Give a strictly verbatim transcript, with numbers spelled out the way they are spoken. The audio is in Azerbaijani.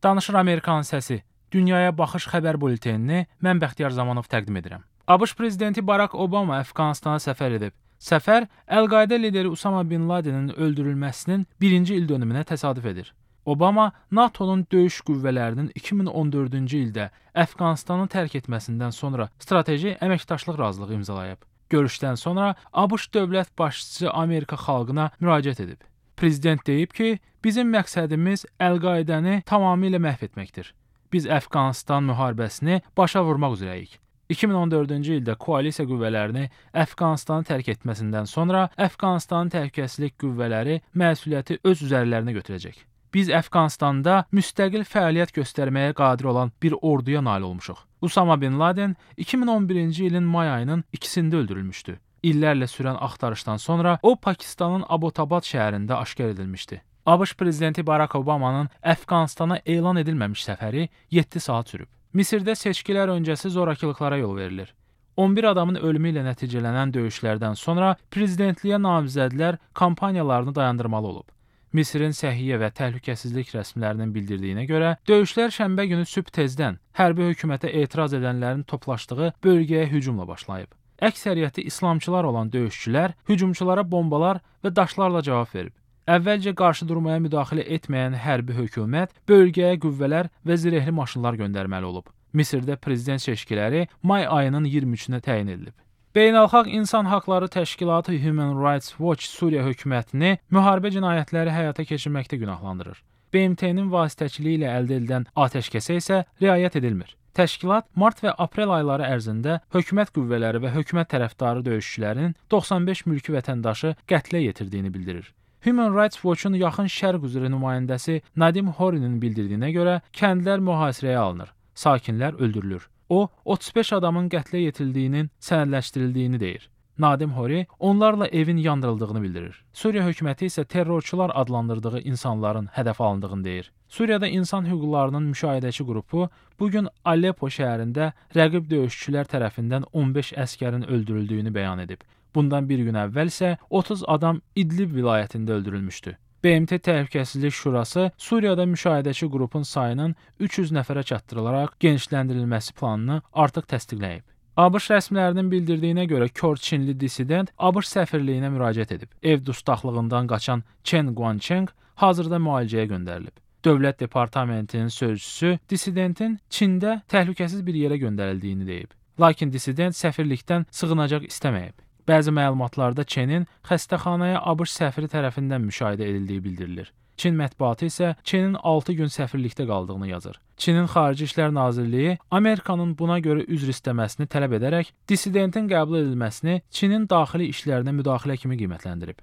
Danışır Amerikanın səsi. Dünyaya baxış xəbər bulletenini mən Bəxtiyar Zamanov təqdim edirəm. ABŞ prezidenti Barack Obama Əfqanistana səfər edib. Səfər Əl-Qayda lideri Usama bin Ladenin öldürülməsinin birinci il dönümünə təsadüf edir. Obama NATO'nun döyüş qüvvələrinin iki min on dördüncü ildə Əfqanistanı tərk etməsindən sonra strateji əməkdaşlıq razılığı imzalayıb. Görüşdən sonra ABŞ dövlət başçısı Amerika xalqına müraciət edib. Prezident deyib ki, bizim məqsədimiz Əl-Qaidəni tamamilə məhv etməkdir. Biz Əfqanistan müharibəsini başa vurmaq üzrəyik. iki min on dördüncü ildə koalisiya qüvvələrini Əfqanistanı tərk etməsindən sonra Əfqanistanın təhlükəsizlik qüvvələri məsuliyyəti öz üzərlərinə götürəcək. Biz Əfqanistanda müstəqil fəaliyyət göstərməyə qadir olan bir orduya nail olmuşuq. Usama bin Laden iki min on birinci ilin may ayının ikisində öldürülmüşdü. İllərlə sürən axtarışdan sonra o Pakistanın Abbottabad şəhərində aşkar edilmişdi. ABŞ prezidenti Barack Obama'nın Əfqanistana elan edilməmiş səfəri yeddi saat sürüb. Misirdə seçkilər öncəsi zorakılıqlara yol verilir. on bir adamın ölümü ilə nəticələnən döyüşlərdən sonra prezidentliyə namizədlər kampaniyalarını dayandırmalı olub. Misirin səhiyyə və təhlükəsizlik rəsmilərinin bildirdiyinə görə, döyüşlər şənbə günü sübh tezdən hərbi hökumətə etiraz edənlərin toplaşdığı bölgəyə hücumla başlayıb. Əksəriyyəti islamçılar olan döyüşçülər hücumçulara bombalar və daşlarla cavab verib. Əvvəlcə qarşı durmaya müdaxilə etməyən hərbi hökumət bölgəyə qüvvələr və zirehli maşınlar göndərməli olub. Misirdə prezident seçkiləri may ayının iyirmi üçünə təyin edilib. Beynəlxalq İnsan Haqları Təşkilatı Human Rights Watch Suriya hökumətini müharibə cinayətləri həyata keçirməkdə günahlandırır. B M T-nin vasitəçiliyi ilə əldə edilən atəşkəsə isə riayət edilmir. Təşkilat mart və aprel ayları ərzində hökumət qüvvələri və hökumət tərəfdarı döyüşçülərinin doxsan beş mülki vətəndaşı qətlə yetirdiyini bildirir. Human Rights Watch-un yaxın şərq üzrə nümayəndəsi Nadim Horinin bildirdiyinə görə kəndlər mühasirəyə alınır, sakinlər öldürülür. O, otuz beş adamın qətlə yetildiyinin sənədləşdirildiyini deyir. Nadim Hori onlarla evin yandırıldığını bildirir. Suriya hökuməti isə terrorçular adlandırdığı insanların hədəf alındığını deyir. Suriyada insan hüquqlarının müşahidəçi qrupu bu gün Aleppo şəhərində rəqib döyüşçülər tərəfindən on beş əskərin öldürüldüyünü bəyan edib. Bundan bir gün əvvəl isə otuz adam İdlib vilayətində öldürülmüşdü. B M T Təhlükəsizlik Şurası Suriyada müşahidəçi qrupun sayının üç yüz nəfərə çatdırılaraq genişləndirilməsi planını artıq təsdiqləyib. ABŞ rəsmilərinin bildirdiyinə görə kör Çinli dissident ABŞ səfirliyinə müraciət edib. Ev dustaqlığından qaçan Chen Guangcheng hazırda müalicəyə göndərilib. Dövlət Departamentinin sözçüsü dissidentin Çində təhlükəsiz bir yerə göndərildiyini deyib. Lakin dissident səfirlikdən sığınacaq istəməyib. Bəzi məlumatlarda Çinin xəstəxanaya ABŞ səfiri tərəfindən müşahidə edildiyi bildirilir. Çin mətbuatı isə Çinin altı gün səfirlikdə qaldığını yazır. Çinin Xarici İşlər Nazirliyi Amerikanın buna görə üzr istəməsini tələb edərək dissidentin qəbul edilməsini Çinin daxili işlərinə müdaxilə kimi qiymətləndirib.